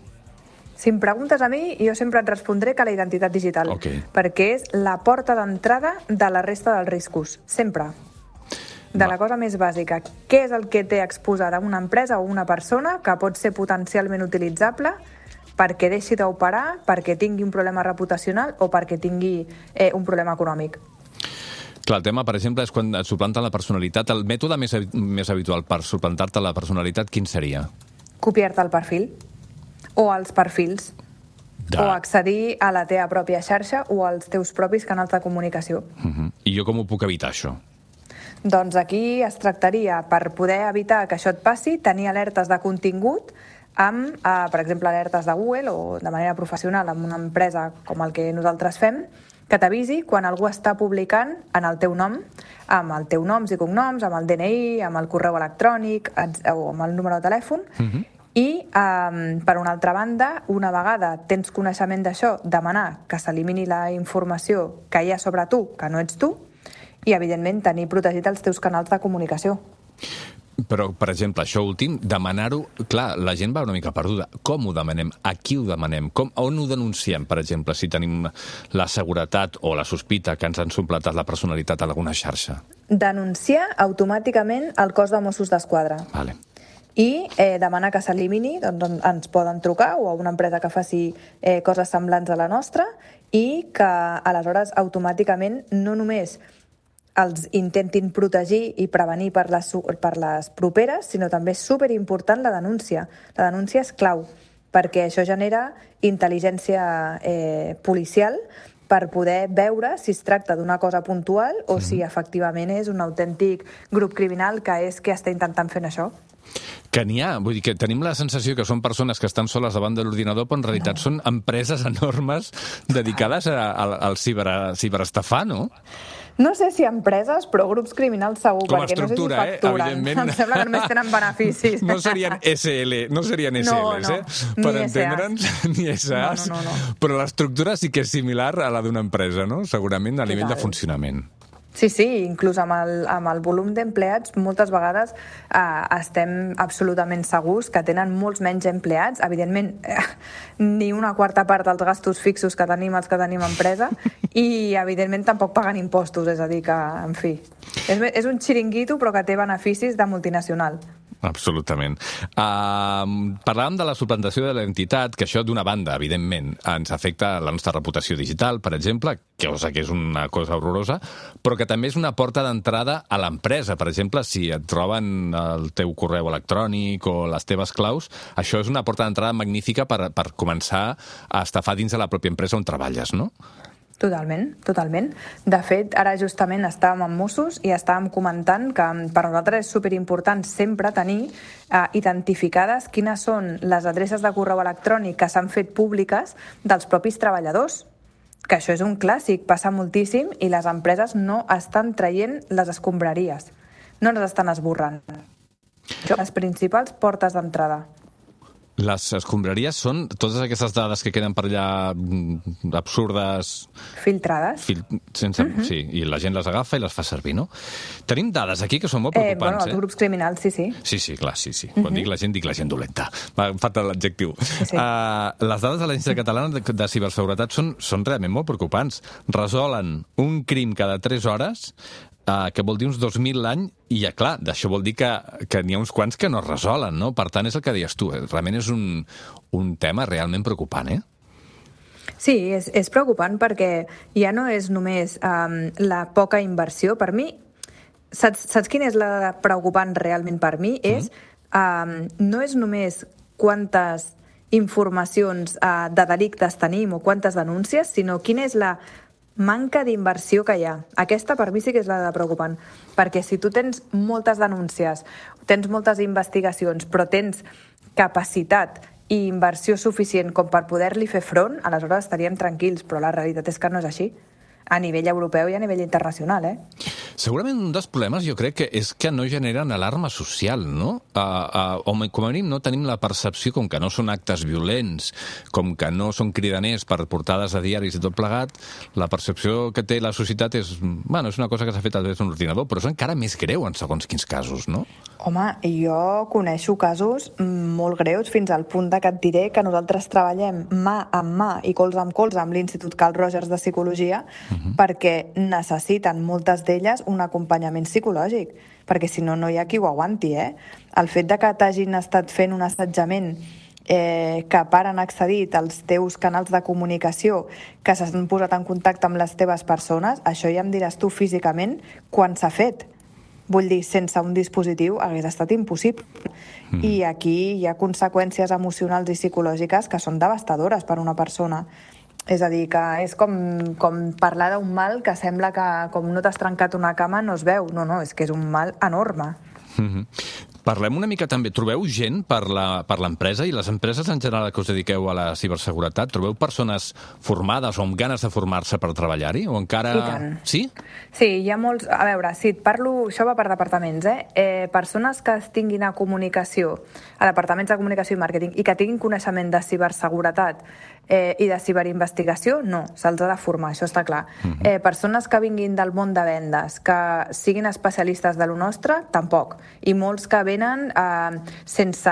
Si em preguntes a mi, jo sempre et respondré que la identitat digital, Okay. perquè és la porta d'entrada de la resta dels riscos, sempre. La cosa més bàsica. Què és el que té exposada una empresa o una persona que pot ser potencialment utilitzable perquè deixi d'operar, perquè tingui un problema reputacional o perquè tingui un problema econòmic? Clar, el tema, per exemple, és quan et suplanten la personalitat. El mètode més habitual per suplantar-te la personalitat, quin seria? Copiar-te el perfil o els perfils o accedir a la teva pròpia xarxa o als teus propis canals de comunicació. I jo com ho puc evitar, això? Doncs aquí es tractaria, per poder evitar que això et passi, tenir alertes de contingut amb, per exemple, alertes de Google o de manera professional amb una empresa com el que nosaltres fem, que t'avisi quan algú està publicant en el teu nom, amb el teu noms i cognoms, amb el DNI, amb el correu electrònic o amb el número de telèfon. I, per una altra banda, una vegada tens coneixement d'això, demanar que s'elimini la informació que hi ha sobre tu, que no ets tu, i, evidentment, tenir protegit els teus canals de comunicació. Però, per exemple, això últim, demanar-ho... Clar, la gent va una mica perduda. Com ho demanem? A qui ho demanem? On ho denunciem, per exemple, si tenim la seguretat o la sospita que ens han suplantat la personalitat a alguna xarxa? Denunciar automàticament al cos de Mossos d'Esquadra. Vale. I demanar que s'elimini, doncs ens poden trucar o a una empresa que faci coses semblants a la nostra i que, aleshores, automàticament no només els intentin protegir i prevenir per les properes, sinó també és superimportant la denúncia. La denúncia és clau, perquè això genera intel·ligència policial per poder veure si es tracta d'una cosa puntual o si efectivament és un autèntic grup criminal que és que està intentant fer això. Que n'hi ha, vull dir que tenim la sensació que són persones que estan soles davant de l'ordinador, però en realitat són empreses enormes dedicades al ciberestafar, no? No sé si empreses, però grups criminals segur, com a perquè estructura, no sé si facturen. Evidentment. Em sembla que només tenen beneficis. No serien SL, no serien SLs, per entendre'ns, ni SAs. No. Però l'estructura sí que és similar a la d'una empresa, no? Segurament a nivell de funcionament. Sí, inclús amb el volum d'empleats moltes vegades estem absolutament segurs que tenen molts menys empleats. Evidentment, ni una quarta part dels gastos fixos que tenim els que tenim empresa i, evidentment, tampoc paguen impostos. És a dir que, en fi, és un xiringuito però que té beneficis de multinacional. Absolutament. Parlàvem de la suplantació de l'entitat, que això, d'una banda, evidentment, ens afecta la nostra reputació digital, per exemple, que és una cosa horrorosa, però que també és una porta d'entrada a l'empresa. Per exemple, si et roben el teu correu electrònic o les teves claus, això és una porta d'entrada magnífica per començar a estafar dins de la pròpia empresa on treballes, no? Totalment. De fet, ara justament estàvem amb Mossos i estàvem comentant que per nosaltres és superimportant sempre tenir identificades quines són les adreces de correu electrònic que s'han fet públiques dels propis treballadors, que això és un clàssic, passa moltíssim i les empreses no estan traient les escombraries, no les estan esborrant. Les principals portes d'entrada. Les escombraries són totes aquestes dades que queden per allà absurdes... Filtrades. Sí, i la gent les agafa i les fa servir, no? Tenim dades aquí que són molt preocupants, els grups criminals, sí. Sí, clar, sí. Quan dic la gent dolenta. Em falta l'adjectiu. Sí. Les dades de l'Agència Catalana de Ciberseguretat són realment molt preocupants. Resolen un crim cada 3 hores, que vol dir uns 2.000 l'any, i clar, d'això vol dir que n'hi ha uns quants que no es resolen, no? Per tant, és el que deies tu, realment és un tema realment preocupant, Sí, és preocupant perquè ja no és només la poca inversió. Per mi, saps quina és la preocupant realment per mi? No és només quantes informacions de delictes tenim o quantes denúncies, sinó quina és la manca d'inversió que hi ha. Aquesta per mi sí que és la de preocupant, perquè si tu tens moltes denúncies, tens moltes investigacions, però tens capacitat i inversió suficient com per poder-li fer front, aleshores estaríem tranquils, però la realitat és que no és així, a nivell europeu i a nivell internacional, Segurament un dels problemes jo crec que és que no generen alarma social, no? O com a mínim no tenim la percepció, com que no són actes violents, com que no són cridaners per portades a diaris i tot plegat, la percepció que té la societat és una cosa que s'ha fet a través d'un ordinador, però és encara més greu en segons quins casos, no? Home, jo coneixo casos molt greus fins al punt que et diré que nosaltres treballem mà amb mà i colze amb l'Institut Carl Rogers de Psicologia perquè necessiten moltes d'elles un acompanyament psicològic, perquè si no, no hi ha qui ho aguanti, El fet de que t'hagin estat fent un assetjament que han accedit als teus canals de comunicació, que s'han posat en contacte amb les teves persones, això ja em diràs tu físicament quan s'ha fet. Vull dir, sense un dispositiu hagués estat impossible. I aquí hi ha conseqüències emocionals i psicològiques que són devastadores per una persona. És a dir, que és com parlar d'un mal que sembla que com no t'has trencat una cama no es veu. No, és que és un mal enorme. Parlem una mica també. Trobeu gent per l'empresa i les empreses en general que us dediqueu a la ciberseguretat? Trobeu persones formades o amb ganes de formar-se per treballar-hi? O encara... I tant. Sí? Sí, hi ha molts... A veure, si et parlo... Això va per departaments, persones que tinguin a comunicació, a departaments de comunicació i màrqueting, i que tinguin coneixement de ciberseguretat i de ciberinvestigació, no, se'ls ha de formar, això està clar. Persones que vinguin del món de vendes, que siguin especialistes de lo nostre, tampoc. I molts que venen sense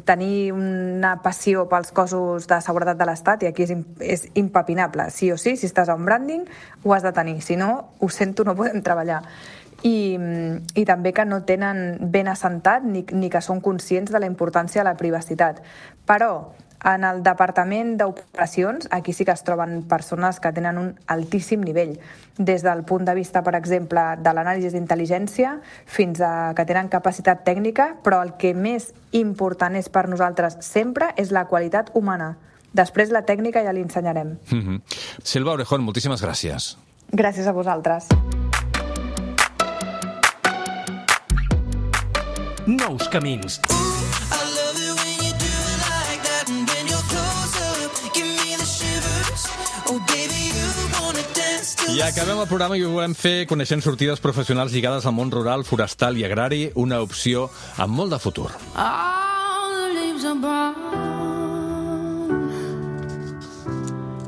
tenir una passió pels cossos de seguretat de l'Estat, i aquí és impepinable. Sí o sí, si estàs a un branding, ho has de tenir. Si no, ho sento, no podem treballar. I també que no tenen ben assentat ni que són conscients de la importància de la privacitat. Però en el departament d'operacions, aquí sí que es troben persones que tenen un altíssim nivell, des del punt de vista, per exemple, de l'anàlisi d'intel·ligència fins a que tenen capacitat tècnica, però el que més important és per nosaltres sempre és la qualitat humana. Després la tècnica ja l'ensenyarem. Silva Orejón, moltíssimes gràcies. Gràcies a vosaltres. Nous camins. I acabem el programa i ho volem fer coneixent sortides professionals lligades al món rural, forestal i agrari, una opció amb molt de futur. All the leaves are brown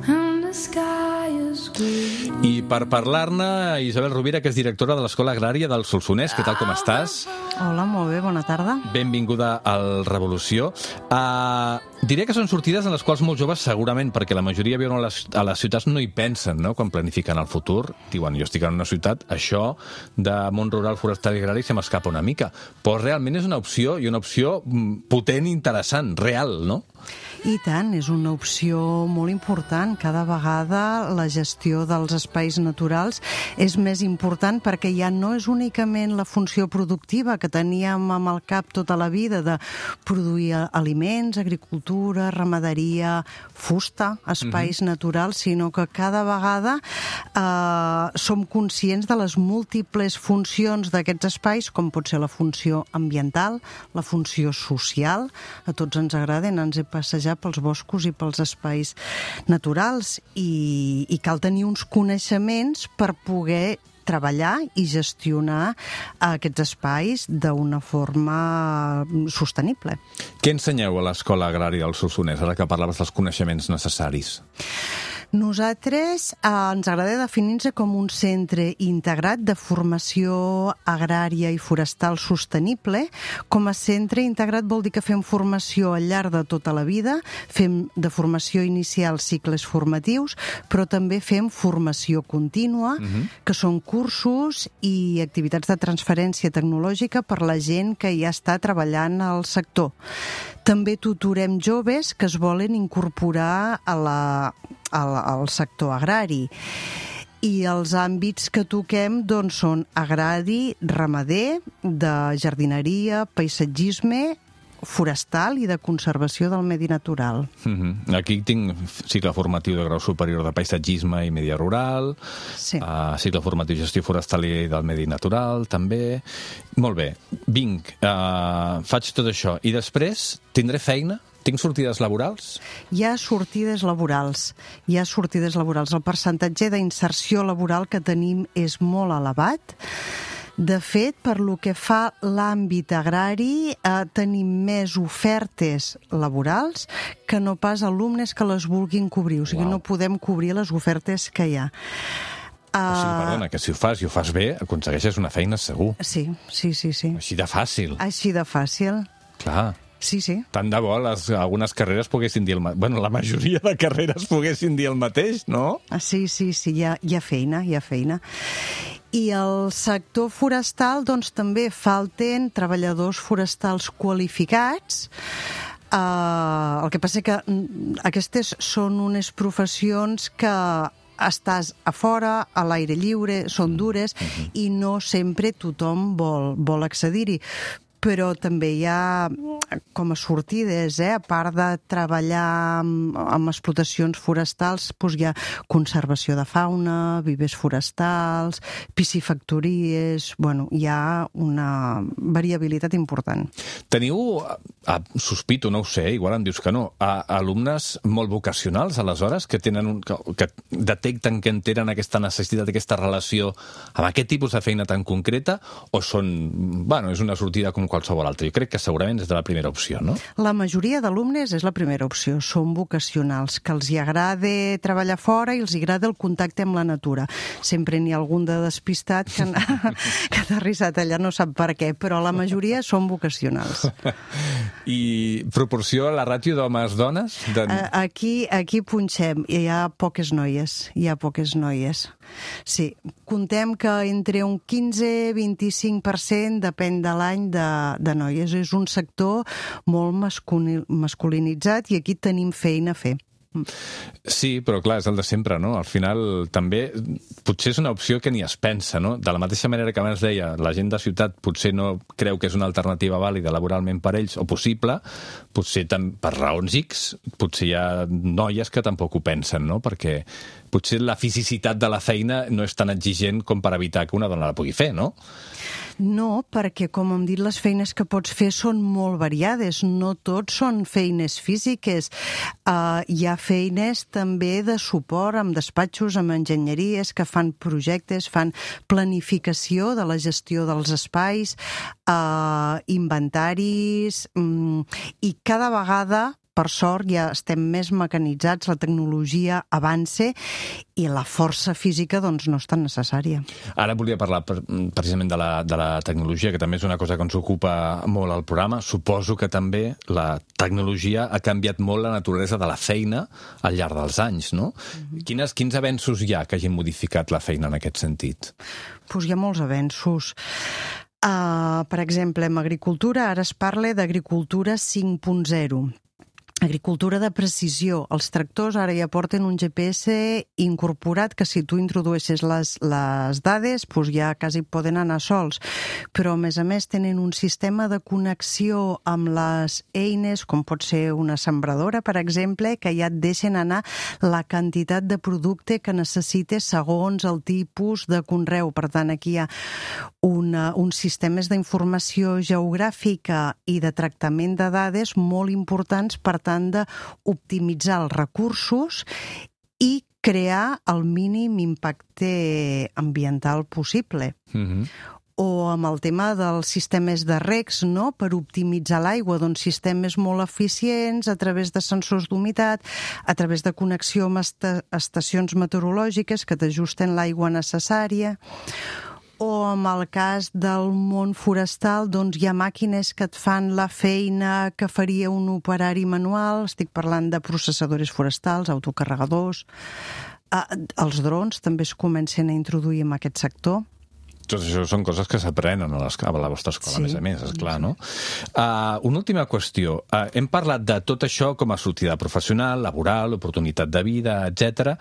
and the sky is green. I per parlar-ne, Isabel Rovira, que és directora de l'Escola Agrària del Solsonès. Què tal, com estàs? Hola, molt bé, bona tarda. Benvinguda al Revolució. Diré que són sortides en les quals molts joves, segurament, perquè la majoria viuen a les ciutats, no hi pensen, no?, quan planifiquen el futur. Diuen, jo estic en una ciutat, això de món rural, forestal i agrari se m'escapa una mica. Però realment és una opció, i una opció potent i interessant, real, no? I tant, és una opció molt important. Cada vegada la gestió dels espais naturals és més important perquè ja no és únicament la funció productiva que teníem amb el cap tota la vida de produir aliments, agricultura, ramaderia, fusta, espais naturals, sinó que cada vegada som conscients de les múltiples funcions d'aquests espais, com pot ser la funció ambiental, la funció social. A tots ens agrada anar a passejar pels boscos i pels espais naturals i cal tenir uns coneixements per poder treballar i gestionar aquests espais d'una forma sostenible. Què ensenyeu a l'Escola Agrària del Solsonès, ara que parlaves dels coneixements necessaris? Nosaltres ens agrada definir-nos com un centre integrat de formació agrària i forestal sostenible. Com a centre integrat vol dir que fem formació al llarg de tota la vida, fem de formació inicial cicles formatius, però també fem formació contínua, que són cursos i activitats de transferència tecnològica per la gent que ja està treballant al sector. També tutorem joves que es volen incorporar al sector agrari. I els àmbits que toquem doncs, són agrari, ramader, de jardineria, paisatgisme, forestal i de conservació del medi natural. Aquí tinc cicle formatiu de grau superior de paisatgisme i medi rural, cicle formatiu de gestió forestal i del medi natural, també. Molt bé, vinc, faig tot això. I després tindré feina? Tinc sortides laborals? Hi ha sortides laborals. El percentatge d'inserció laboral que tenim és molt elevat. De fet, per lo que fa l'àmbit agrari, tenim més ofertes laborals que no pas alumnes que les vulguin cobrir. O sigui, no podem cobrir les ofertes que hi ha. O sigui, perdona, que si ho fas bé, aconsegueixes una feina segur. Sí. Així de fàcil. Així de fàcil. Clar. Sí. Tant de bo algunes carreres poguessin dir el mateix. Bueno, la majoria de carreres poguessin dir el mateix, no? Sí, hi ha feina. I el sector forestal, doncs, també falten treballadors forestals qualificats. El que passa que aquestes són unes professions que estàs a fora, a l'aire lliure, són dures, i no sempre tothom vol accedir-hi. Però també hi ha com a sortides, a part de treballar amb explotacions forestals, doncs hi ha conservació de fauna, vivers forestals, piscifactories, hi ha una variabilitat important. Teniu, sospito, no ho sé, igual em dius que no, alumnes molt vocacionals, aleshores, que detecten que entenen aquesta necessitat, aquesta relació amb aquest tipus de feina tan concreta, o són, és una sortida com qualsevol altra? Jo crec que segurament és de la primera opció, no? La majoria d'alumnes és la primera opció, són vocacionals, que els hi agrada treballar fora i els hi agrada el contacte amb la natura. Sempre n'hi ha algun de despistat que ha aterrissat allà, no sap per què, però la majoria són vocacionals. I proporció a la ràtio d'homes-dones? Aquí punxem, hi ha poques noies. Sí, contem que entre un 15-25% depèn de l'any de noies. És un sector molt masculinitzat i aquí tenim feina a fer. Sí, però clar, és el de sempre, no? Al final, també, potser és una opció que ni es pensa, no? De la mateixa manera que abans deia, la gent de ciutat potser no creu que és una alternativa vàlida laboralment per ells, o possible, potser per raons X, potser hi ha noies que tampoc ho pensen, no? Perquè potser la fisicitat de la feina no és tan exigent com per evitar que una dona la pugui fer, no? No, perquè, com hem dit, les feines que pots fer són molt variades. No tot són feines físiques. Hi ha feines també de suport amb despatxos, amb enginyeries, que fan projectes, fan planificació de la gestió dels espais, inventaris, i cada vegada, per sort, ja estem més mecanitzats, la tecnologia avança i la força física doncs, no és tan necessària. Ara volia parlar precisament de la tecnologia, que també és una cosa que ens ocupa molt al programa. Suposo que també la tecnologia ha canviat molt la naturalesa de la feina al llarg dels anys, no? Quins avenços hi ha que hagin modificat la feina en aquest sentit? Hi ha molts avenços. Per exemple, en agricultura ara es parla d'agricultura 5.0. Agricultura de precisió. Els tractors ara ja porten un GPS incorporat que si tu introdueixes les dades ja quasi poden anar sols. Però, a més, tenen un sistema de connexió amb les eines, com pot ser una sembradora, per exemple, que ja et deixen anar la quantitat de producte que necessites segons el tipus de conreu. Per tant, aquí hi ha uns sistemes d'informació geogràfica i de tractament de dades molt importants per tant d'optimitzar els recursos i crear el mínim impacte ambiental possible. O amb el tema dels sistemes de regs, no? Per optimitzar l'aigua, doncs sistemes molt eficients a través de sensors d'humitat, a través de connexió amb estacions meteorològiques que t'ajusten l'aigua necessària. O en el cas del món forestal, doncs hi ha màquines que et fan la feina que faria un operari manual. Estic parlant de processadors forestals, autocarregadors. Els drons també es comencen a introduir en aquest sector. Tot això són coses que s'aprenen a la vostra escola, a més, esclar, no? Una última qüestió. Hem parlat de tot això com a sortida professional, laboral, oportunitat de vida, etc.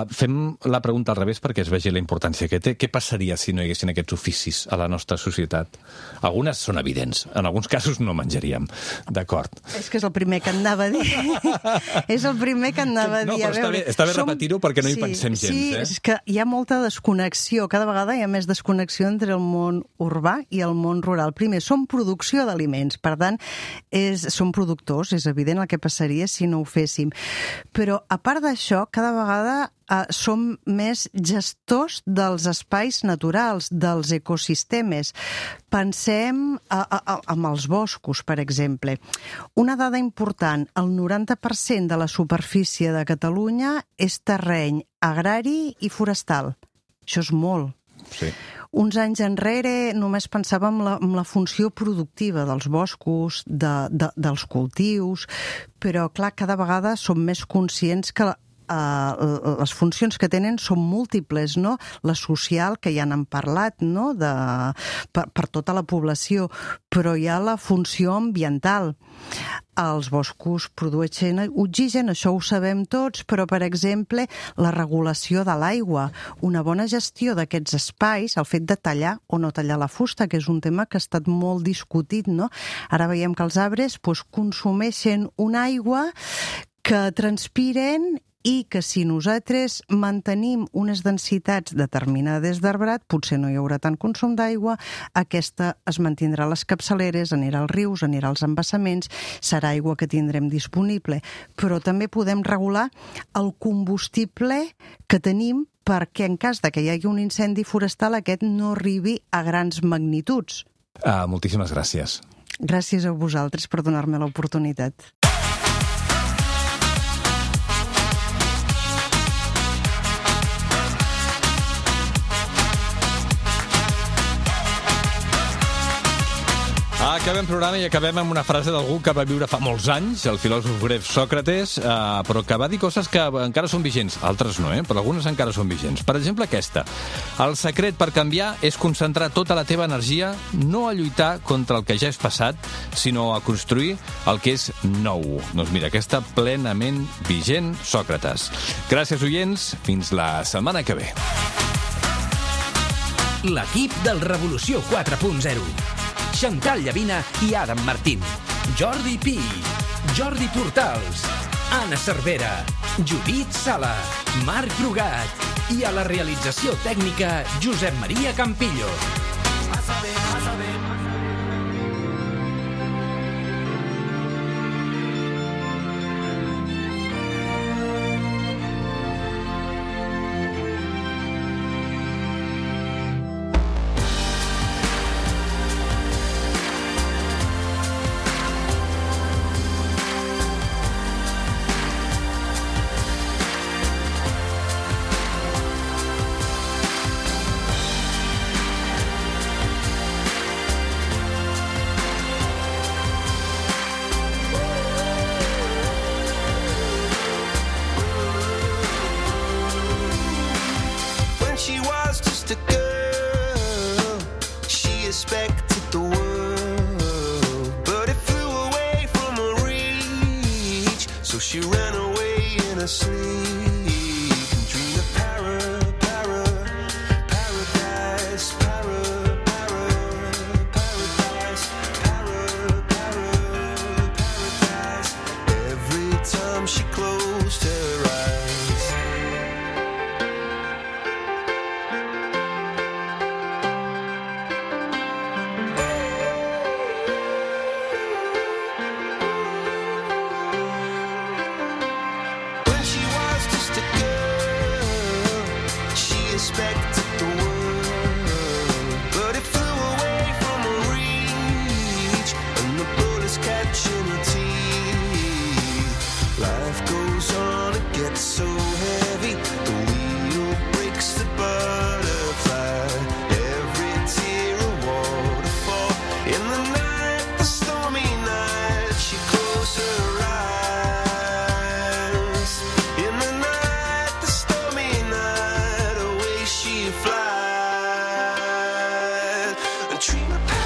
Fem la pregunta al revés perquè es vegi la importància que té. Què passaria si no hi haguessin aquests oficis a la nostra societat? Algunes són evidents. En alguns casos no menjaríem. D'acord. És que és el primer que anava a dir. És el primer que anava a dir. No, però està bé repetir-ho perquè no hi pensem gens. Sí, és que hi ha molta desconnexió. Cada vegada hi ha més desconnexió entre el món urbà i el món rural. Primer, som producció d'aliments, per tant, som productors, és evident el que passaria si no ho féssim. Però, a part d'això, cada vegada som més gestors dels espais naturals, dels ecosistemes. Pensem en els boscos, per exemple. Una dada important, el 90% de la superfície de Catalunya és terreny agrari i forestal. Això és molt. Sí. Uns anys enrere només pensàvem en la funció productiva dels boscos, dels cultius, però, clar, cada vegada som més conscients que les funcions que tenen són múltiples, no? La social, que ja n'han parlat, no? Per tota la població, però hi ha la funció ambiental. Els boscos produeixen oxigen, això ho sabem tots, però, per exemple, la regulació de l'aigua, una bona gestió d'aquests espais, el fet de tallar o no tallar la fusta, que és un tema que ha estat molt discutit, no? Ara veiem que els arbres consumeixen una aigua que transpiren i que si nosaltres mantenim unes densitats determinades d'arbrat, potser no hi haurà tant consum d'aigua, aquesta es mantindrà a les capçaleres, anirà als rius, anirà als embassaments, serà aigua que tindrem disponible. Però també podem regular el combustible que tenim perquè en cas de que hi hagi un incendi forestal aquest no arribi a grans magnituds. Moltíssimes gràcies. Gràcies a vosaltres per donar-me l'oportunitat. Acabem programa i acabem amb una frase d'algú que va viure fa molts anys, el filòsof grec Sòcrates, però que va dir coses que encara són vigents. Altres no, però algunes encara són vigents. Per exemple, aquesta. El secret per canviar és concentrar tota la teva energia no a lluitar contra el que ja és passat, sinó a construir el que és nou. Doncs mira, aquesta plenament vigent, Sòcrates. Gràcies, oients. Fins la setmana que ve. L'equip del Revolució 4.0. Xantal Llavina i Adam Martín. Jordi Pi, Jordi Portals, Anna Cervera, Judit Sala, Marc Brugat i a la realització tècnica Josep Maria Campillo. She ran away in her sleep and dreamed of paradise, paradise. Every time she closed her eyes. When she was just In the night, the stormy night, she closed her eyes. In the night, the stormy night, away she flies. A dream of